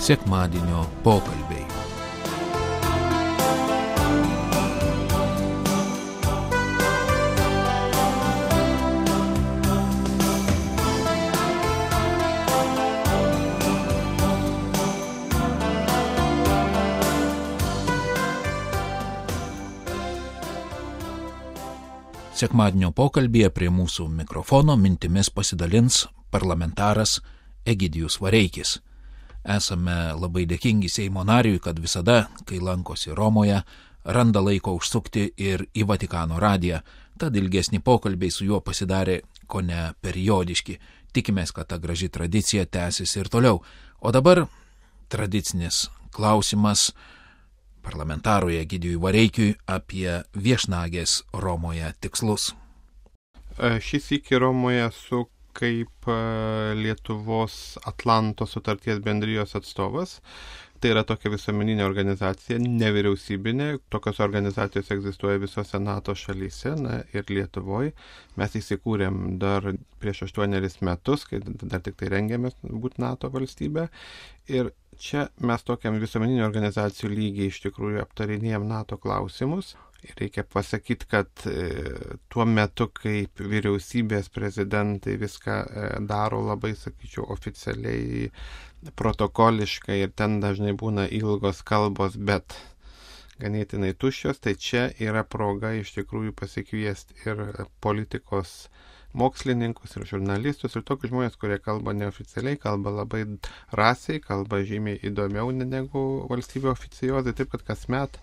Sekmadienio pokalbiai. Sekmadienio pokalbyje prie mūsų mikrofono mintimis pasidalins parlamentaras Egidijus Vareikis. Esame labai dėkingi Seimo nariui, kad visada, kai lankosi Romoje, randa laiko užsukti ir į Vatikano radiją. Tad ilgesni pokalbiai su juo pasidarė kone periodiški. Tikimės, kad ta graži tradicija tęsis ir toliau. O dabar tradicinis klausimas parlamentarui Egidijui Vareikiui apie viešnagės Romoje tikslus. Šis iki Romoje esu kaip Lietuvos Atlanto sutarties bendrijos atstovas. Tai yra tokia visuomeninė organizacija, nevyriausybinė. Tokios organizacijos egzistuoja visose NATO šalyse ir Lietuvoje. Mes įsikūrėm dar prieš 8 metus, kai dar tik tai rengėmės būti NATO valstybė. Ir čia mes tokiam visuomeninių organizacijų lygiai iš tikrųjų aptarinėjom NATO klausimus. Ir reikia pasakyti, kad tuo metu, kaip vyriausybės prezidentai viską daro labai, sakyčiau, oficialiai, protokoliškai ir ten dažnai būna ilgos kalbos, bet ganėtinai tuščios, tai čia yra proga iš tikrųjų pasikviesti ir politikos mokslininkus ir žurnalistus ir tokius žmonės, kurie kalba neoficialiai, kalba labai drąsiai, kalba žymiai įdomiau negu valstybė oficiozai, taip kad kasmet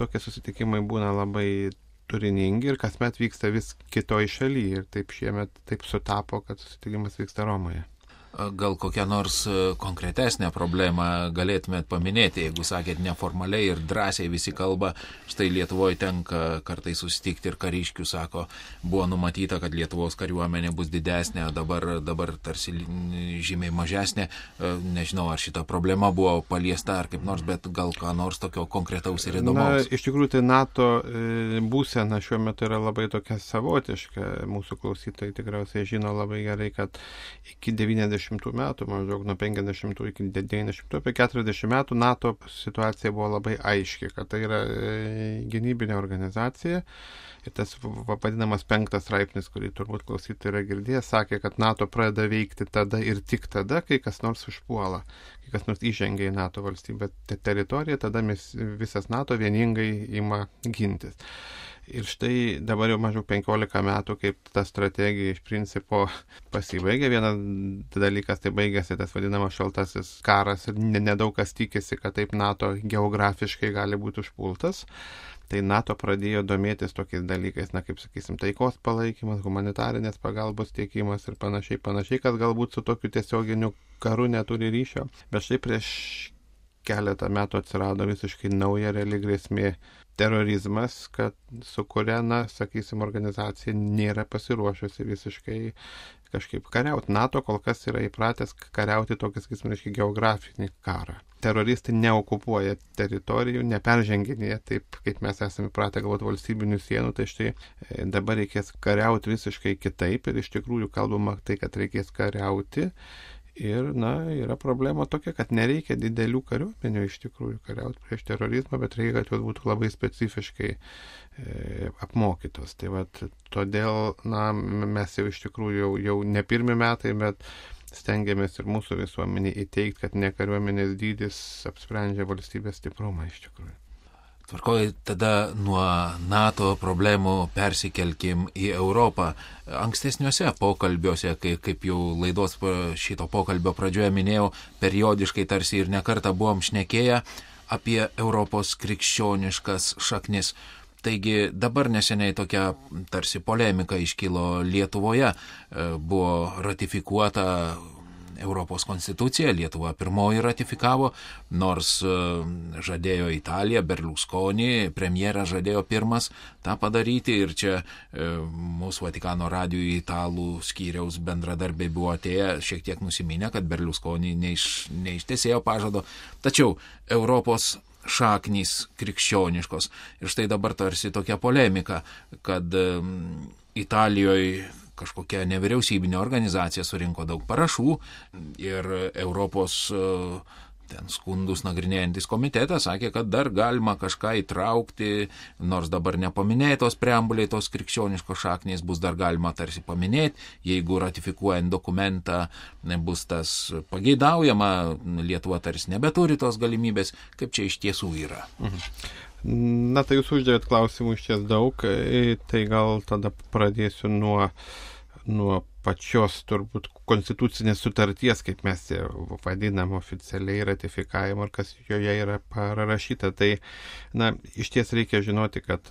tokie susitikimai būna labai turiningi ir kasmet vyksta vis kitoj šalyje ir taip šiemet taip sutapo, kad susitikimas vyksta Romoje. Gal kokią nors konkretesnę problemą galėtumėt paminėti, jeigu sakėt neformaliai ir drąsiai visi kalba, štai Lietuvoje tenka kartais susitikti ir kariškių sako, buvo numatyta, kad Lietuvos kariuomenė bus didesnė, dabar tarsi žymiai mažesnė, nežinau, ar šita problema buvo paliesta ar kaip nors, bet gal ką nors tokio konkretaus ir įdomaus. Iš tikrųjų, tai NATO būsena šiuo metu yra labai tokia savotiška, mūsų klausytojai tikriausiai žino labai gerai, kad iki 90 metų, maždaug nuo 50 iki 90, apie 40 metų NATO situacija buvo labai aiški, kad tai yra gynybinė organizacija ir tas vadinamas 5 straipsnis, kurį turbūt klausytojai yra girdėję, sakė, kad NATO pradeda veikti tada ir tik tada, kai kas nors užpuola, kai kas nors įžengia į NATO valstybę teritoriją, tada visas NATO vieningai ima gintis. Ir štai dabar jau maždaug 15 metų, kaip ta strategija iš principo pasibaigė. Vienas dalykas, tai baigėsi tas vadinamas šaltasis karas ir nedaug kas tikisi, kad taip NATO geografiškai gali būti užpultas. Tai NATO pradėjo domėtis tokiais dalykais, kaip sakysim, taikos palaikymas, humanitarinės pagalbos tiekimas ir panašiai, kas galbūt su tokiu tiesioginiu karu neturi ryšio. Bet štai prieš keletą metų atsirado visiškai nauja reali grėsmė terorizmas, su kuria, sakysim, organizacija nėra pasiruošusi visiškai kažkaip kariauti. NATO kol kas yra įpratęs kariauti tokį, sakysim, geografinį karą. Teroristai neokupuoja teritorijų, neperženginėja taip, kaip mes esame įpratę galvoti valstybinių sienų, tai štai dabar reikės kariauti visiškai kitaip ir iš tikrųjų kalbama tai, kad reikės kariauti. Ir, yra problema tokia, kad nereikia didelių kariuomenių iš tikrųjų kariauti prieš terorizmą, bet reikia, kad jos būtų labai specifiškai apmokytos. Tai todėl, mes jau iš tikrųjų jau ne pirmi metai, bet stengiamės ir mūsų visuomenį įteikti, kad ne kariuomenės dydis apsprendžia valstybės stiprumą iš tikrųjų. Tvarkoj, tada nuo NATO problemų persikelkim į Europą. Ankstesniuose pokalbiuose, kaip jau laidos šito pokalbio pradžioje minėjau, periodiškai tarsi ir nekartą buvom šnekėję apie Europos krikščioniškas šaknis. Taigi dabar neseniai tokia tarsi polemika iškilo Lietuvoje. Buvo ratifikuota Europos konstitucija, Lietuva pirmoji ratifikavo, nors žadėjo Italija, Berlusconi, premjeras žadėjo pirmas tą padaryti ir čia mūsų Vatikano radijų italų skyriaus bendradarbiai buvo atėję šiek tiek nusiminę, kad Berlusconi neištesėjo pažado, tačiau Europos šaknys krikščioniškos. Ir štai dabar tarsi tokia polemika, kad Italijoje kažkokia nevyriausybinė organizacija surinko daug parašų ir Europos ten skundus nagrinėjantis komitetas sakė, kad dar galima kažką įtraukti, nors dabar nepaminėtos preambuliai, tos krikščioniškos šaknys bus dar galima tarsi paminėti, jeigu ratifikuojant dokumentą bus tas pageidaujama, Lietuva tarsi nebeturi tos galimybės, kaip čia iš tiesų yra. Na, tai jūs uždavėt klausimų iš ties daug, tai gal tada pradėsiu nuo pačios turbūt konstitucinės sutarties, kaip mes ją vadinam oficialiai ratifikavimo ir kas joje yra parašyta. Tai, iš ties reikia žinoti, kad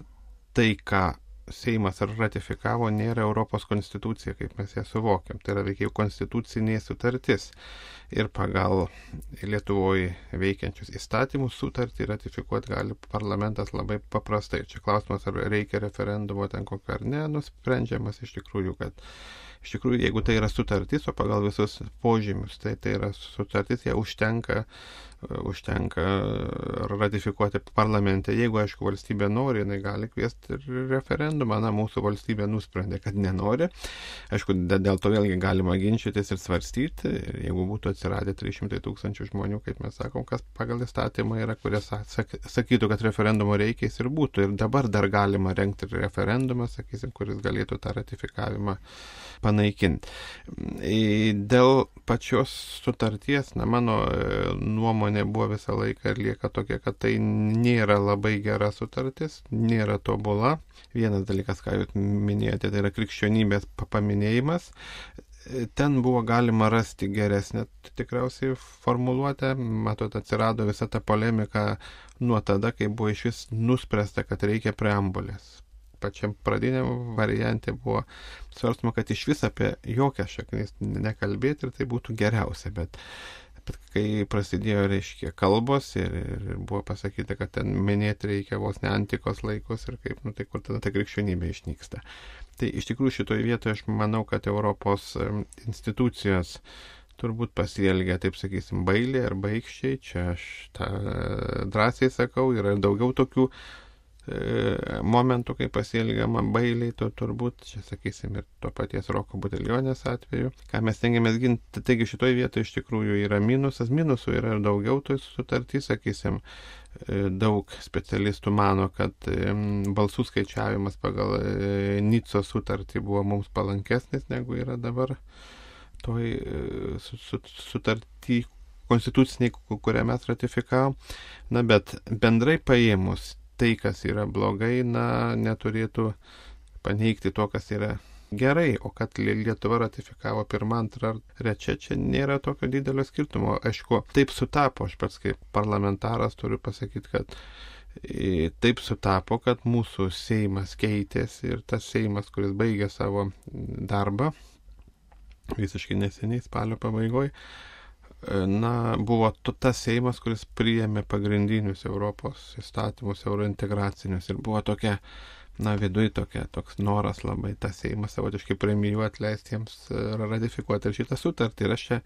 tai, ką Seimas ratifikavo, nėra Europos konstitucija, kaip mes ją suvokiam. Tai yra veikiau konstitucinė sutartis. Ir pagal Lietuvoje veikiančius įstatymus sutartį ratifikuoti gali parlamentas labai paprastai. Čia klausimas, ar reikia referendumo ten kokio ar ne, nusprendžiamas iš tikrųjų, jeigu tai yra sutartis, o pagal visus požymius, tai yra sutartis, ją užtenka ratifikuoti parlamente. Jeigu, aišku, valstybė nori, jinai gali kviesti referendumą. Mūsų valstybė nusprendė, kad nenori. Aišku, dėl to vėlgi galima ginčytis ir svarstyti. Jeigu būtų atsiradę 300 000 žmonių, kaip mes sakom, kas pagal įstatymą yra, kurie sakytų, kad referendumo reikia, jis ir būtų. Ir dabar dar galima rengti referendumą, sakysim, kuris galėtų tą ratifikavimą panaikinti. Dėl pačios sutarties, mano nuomonė buvo visą laiką ir lieka tokia, kad tai nėra labai gera sutartis, nėra tobula. Vienas dalykas, ką jūs minėjote, tai yra krikščionybės paminėjimas. Ten buvo galima rasti geresnę tikriausiai formuluotę. Matot, atsirado visa ta polemika nuo tada, kai buvo iš vis nuspręsta, kad reikia preambulės. Pačiam pradiniam variante buvo svarstama, kad iš vis apie jokias šaknis nekalbėti ir tai būtų geriausia, bet kai prasidėjo, reiškia, kalbos ir buvo pasakyta, kad ten minėti reikia vos ne antikos laikus ir kaip, tai kur tada ta krikščionybė išnyksta. Tai iš tikrųjų šitoje vietoje aš manau, kad Europos institucijos turbūt pasielgia, taip sakysim, bailiai ar baikščiai, čia aš tą drąsiai sakau, yra daugiau tokių momentų, kai pasielgiama bailiai, to turbūt, čia sakysim, ir to paties Roko Butelionės atveju, ką mes tengiamės ginti. Taigi šitoje vietoje iš tikrųjų yra minusas, minusų yra ir daugiau toj sutartys, sakysim, daug specialistų mano, kad balsų skaičiavimas pagal Nicos sutartį buvo mums palankesnis, negu yra dabar toj sutartį konstituciniai, kurią mes ratifikavom. Bet bendrai paėmus, tai, kas yra blogai, neturėtų paneigti to, kas yra gerai, o kad Lietuva ratifikavo 1, 2 ar 3, čia nėra tokio didelio skirtumo. Aišku, taip sutapo, aš pats kaip parlamentaras turiu pasakyti, kad taip sutapo, kad mūsų Seimas keitėsi ir tas Seimas, kuris baigė savo darbą visiškai neseniai, spalio pabaigoje, buvo tas Seimas, kuris priėmė pagrindinius Europos įstatymus, eurointegracinius ir buvo tokia, viduje toks noras labai tą Seimą savotiškai premijuoti, leisti jiems ratifikuoti ir šitą sutartį. Ir aš čia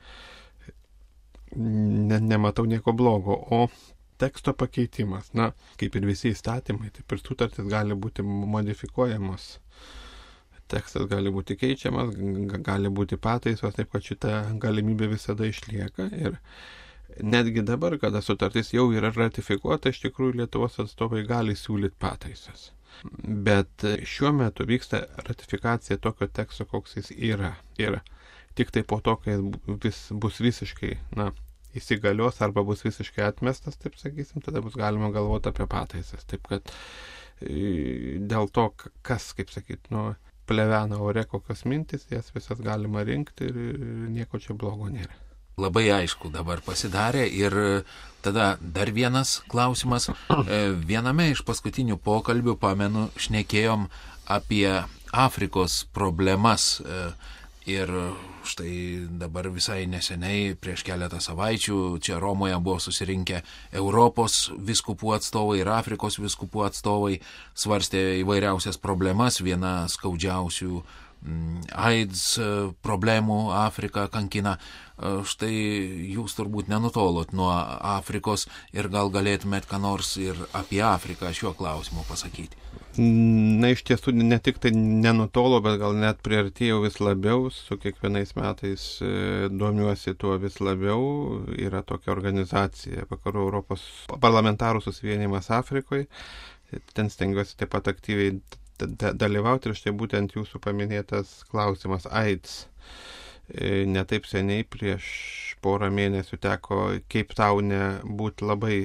nematau nieko blogo. O teksto pakeitimas, kaip ir visi įstatymai, taip ir sutartis gali būti modifikuojamos. Tekstas gali būti keičiamas, gali būti pataisos, taip kad šita galimybė visada išlieka. Ir netgi dabar, kada sutartis jau yra ratifikuota, iš tikrųjų Lietuvos atstovai gali siūlyti pataisas. Bet šiuo metu vyksta ratifikacija tokio teksto, koks jis yra. Ir tik tai po to, kai bus visiškai, įsigalios arba bus visiškai atmestas, taip sakysim, tada bus galima galvoti apie pataisas. Taip kad dėl to, kas, kaip sakyt, plevena ore kokios mintis, jas visas galima rinkti ir nieko čia blogo nėra. Labai aišku dabar pasidarė ir tada dar vienas klausimas. Viename iš paskutinių pokalbių, pamenu, šnekėjom apie Afrikos problemas ir štai dabar visai neseniai, prieš keletą savaičių, čia Romoje buvo susirinkę Europos vyskupų atstovai ir Afrikos vyskupų atstovai, svarstė įvairiausias problemas. Viena skaudžiausių AIDS problemų Afrika kankina. Štai jūs turbūt nenutolot nuo Afrikos ir gal galėtumėt ką nors ir apie Afriką šiuo klausimu pasakyti. Na, iš tiesų, ne tik tai nenutolo, bet gal net priartėjau vis labiau, su kiekvienais metais domiuosi tuo vis labiau. Yra tokia organizacija, Vakarų Europos parlamentarų susivienijimas Afrikoje. Ten stengiuosi taip pat aktyviai dalyvauti ir štai būtent jūsų paminėtas klausimas AIDS. Netaip seniai, prieš porą mėnesių teko Cape Town'e būti labai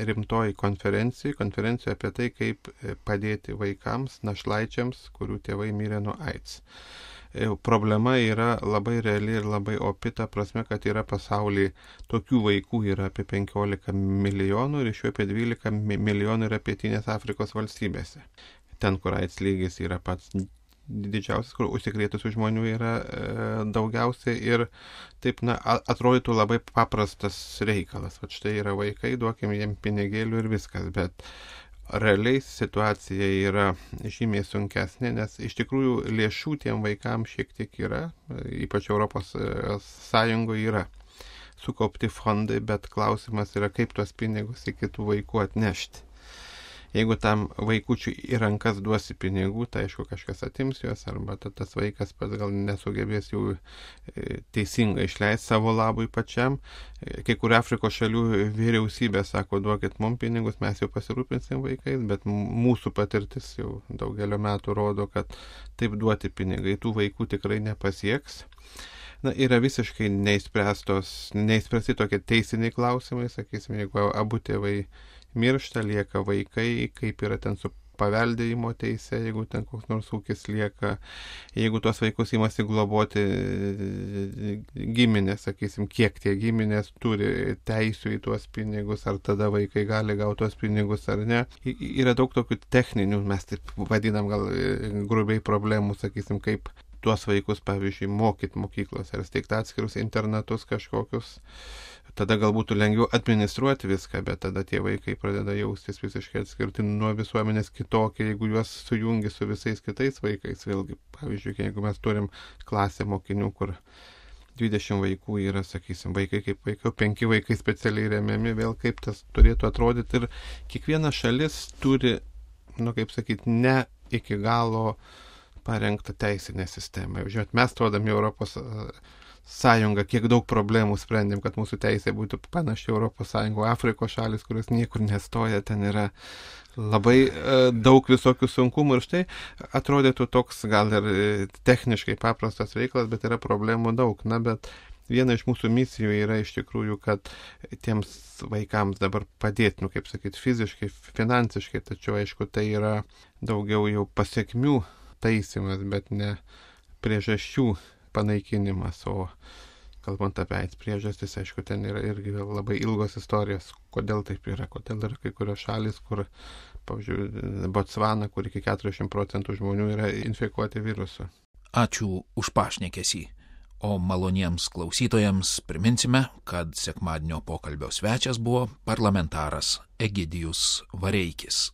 rimtoj konferencijoje apie tai, kaip padėti vaikams, našlaičiams, kurių tėvai mirė nuo AIDS. Problema yra labai reali ir labai opi, ta prasme, kad yra pasaulyje tokių vaikų yra apie 15 milijonų ir iš jų apie 12 milijonų yra pietinės Afrikos valstybėse. Ten, kur AIDS lygis yra pats didžiausias, kur užsikrėtusių žmonių yra daugiausiai ir taip, atrodytų labai paprastas reikalas. Vat štai yra vaikai, duokim jiem pinigėlių ir viskas, bet realiai situacija yra žymiai sunkesnė, nes iš tikrųjų lėšų tiem vaikams šiek tiek yra, ypač Europos Sąjungoje yra sukaupti fondai, bet klausimas yra, kaip tuos pinigus į kitų vaikų atnešti. Jeigu tam vaikučiui į rankas duosi pinigų, tai aišku kažkas atims juos, arba tas vaikas pats gal nesugebės jų teisingai išleisti savo labui pačiam. Kai kur Afrikos šalių vyriausybė sako, duokit mums pinigus, mes jau pasirūpinsim vaikais, bet mūsų patirtis jau daugelio metų rodo, kad taip duoti pinigai tų vaikų tikrai nepasieks. Yra visiškai neįspręsti tokie teisiniai klausimai, sakysim, jeigu abu tėvai miršta, lieka vaikai, kaip yra ten su paveldėjimo teise, jeigu ten koks nors ūkis lieka, jeigu tuos vaikus imasi globoti giminės, sakysim, kiek tie giminės turi teisių į tuos pinigus, ar tada vaikai gali gauti tuos pinigus ar ne. Yra daug tokių techninių, mes taip vadinam gal grubiai problemų, sakysim, kaip tuos vaikus, pavyzdžiui, mokyti mokyklose ar steigti atskirus internatus kažkokius. Tada gal būtų lengviau administruoti viską, bet tada tie vaikai pradeda jaustis visiškai atskirti nuo visuomenės kitokie, jeigu juos sujungi su visais kitais vaikais. Vėlgi, pavyzdžiui, jeigu mes turim klasę mokinių, kur 20 vaikų yra, sakysim, vaikai kaip vaikai, 5 vaikai specialiai remiami, vėl kaip tas turėtų atrodyti. Ir kiekviena šalis turi, kaip sakyti, ne iki galo parengtą teisinę sistemą. Žinot, mes stodami Europos Sąjungą, kiek daug problemų sprendėm, kad mūsų teisė būtų panaši Europos Sąjungo, Afrikos šalis, kurios niekur nestoja, ten yra labai daug visokių sunkumų ir štai atrodytų toks gal ir techniškai paprastas reikalas, bet yra problemų daug. Bet viena iš mūsų misijų yra iš tikrųjų, kad tiems vaikams dabar padėti, kaip sakyti, fiziškai, finansiškai, tačiau aišku, tai yra daugiau jau pasiekmių taisymas, bet ne priežasčių panaikinimas, o kalbant apie AIDS priežastis, aišku, ten yra irgi labai ilgos istorijos, kodėl taip yra, kodėl yra kai kurios šalis, kur, pavyzdžiui, Botsvana, kur iki 40% žmonių yra infekuoti virusu. Ačiū už pašnekesį. O maloniems klausytojams priminsime, kad sekmadienio pokalbio svečias buvo parlamentaras Egidijus Vareikis.